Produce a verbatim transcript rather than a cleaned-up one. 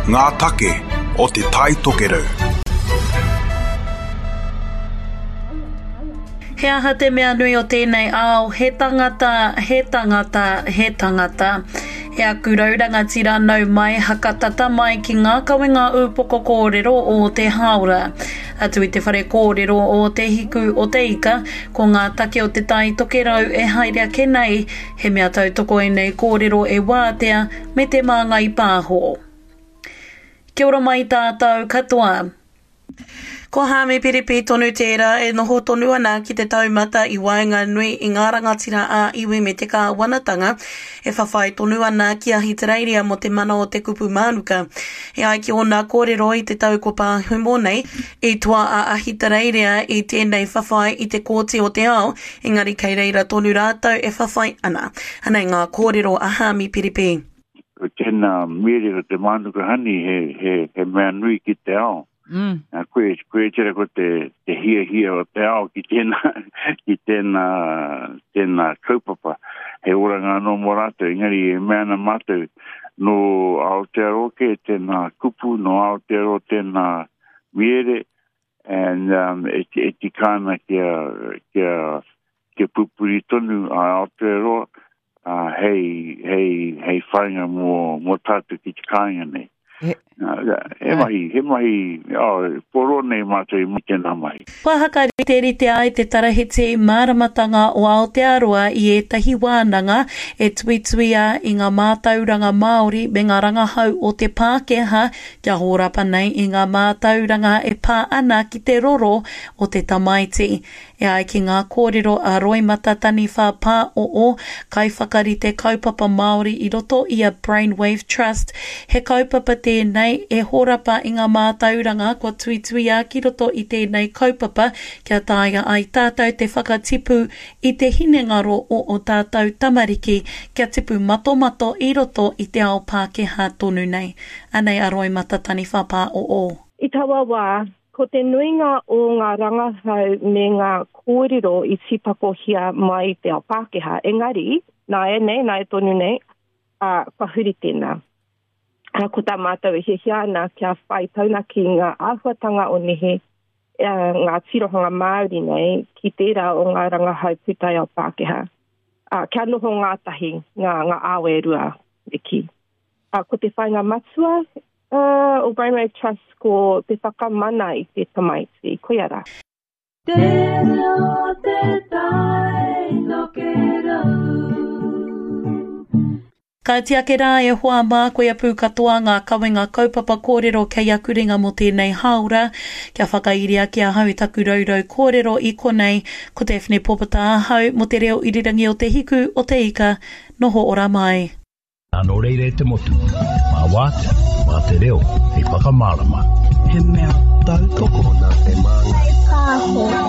Ngā take o Te Tai Tokerau. He aha te mea nui o tēnei ao, he tangata, he tangata, he tangata. E aku rau rangatira nau mai hakatata mai ki ngā kawenga ūpoko kōrero o te hāora. Atu i te whare kōrero o Te Hiku o Te Ika, ko ngā take o Te Tai Tokerau e haere ake nei, he mea tautoko ēnei kōrero e Wātea me Te Māngai Pāho. Kia ora mai tātou katoa. Ko Haami Piripi tonu tērā e noho tonu ana ki te taumata i waenganui i ngā rangatira ā-iwi me te kāwanatanga e whawhai tonu ana ki Ahitereiria mō te mana o te kupu mānuka. E ai ki ōna kōrero i te tau kua pahumo nei, i toa a Ahitereiria i tēnei whawhai i te Kōti o te Ao, engari kei reira tonu rātou e whawhai ana. Anei ngā kōrero a Haami Piripi. Ko tēnā miere ko te mānuka honey he, he, he mea nui ki te ao. Mm. Nā, koe, koe tera ko te, te hiahia o te ao ki tēnā, ki tēnā, tēnā kaupapa. He oranga anō mō rātou, engari e mea ana mātou, nō Aotearoa kē tēnā kupu, nō Aotearoa tēnā miere, and um, e, e tika ana kia, kia, kia pupuri tonu a Aotearoa, uh, hei, hei, hei whainga mō, mō tātou ki te kāinga nei. He, he mahi, he mahi, oh, poro nei mātou i tēnā mahi. Kua hakariterite ai te Tarahiti Māramatanga o Aotearoa i ētahi wānanga e tuituia i ngā mātauranga Māori me ngā rangahau o te Pākehā kia hōrapa nei i ngā mātauranga e pā ana ki te roro o te tamaiti. E ai ki ngā kōrero a Roimata Taniwha Pāoo, kaiwhakarite kaupapa Māori i roto i a Brainwave Trust, he kaupapa tēnei e hōrapa i ngā mātauranga kua tuituia ki roto i tēnei kaupapa kia taea ai tātou te whakatipu i te hinengaro o o tātou tamariki kia tipu matomato i roto i te ao Pākehā tonu nei. Anei a Roimata Taniwha Pāoo. I taua wā, ko te nuinga o ngā rangahau me ngā kōrero i tīpakohia mai i te ao Pākehā, engari, nāianei, nāia tonu nei, ā, kua huri tēnā. Ā, ko tā mātou e hiahia ana kia whai taunaki ngā āhuatanga o nehe, ā, ngā tirohanga Māori nei ki tērā o ngā rangahau pūtaiao Pākehā. Ā, kia noho ngātahi ngā, ngā ao e rua, me kī. Ā, ko te whāinga matua uh, o Brainwave Trust ko te whakamana i te tamaiti, koia rā. Te reo te tai tokerau. Ka tiake rā e hoa mā, koia pū katoa ngā kawenga kaupapa kōrero kei aku ringa mō tēnei hāora. Kia whakairia ki ahau i taku raurau kōrero i konei, ko Daphne Popata ahau mō te reo irirangi o Te Hiku o Te Ika. Noho ora mai. Nō reira e te motu, mā Wātea, mā te reo, hei whakamārama. He mea tautoko nā Te Māngai Pāho.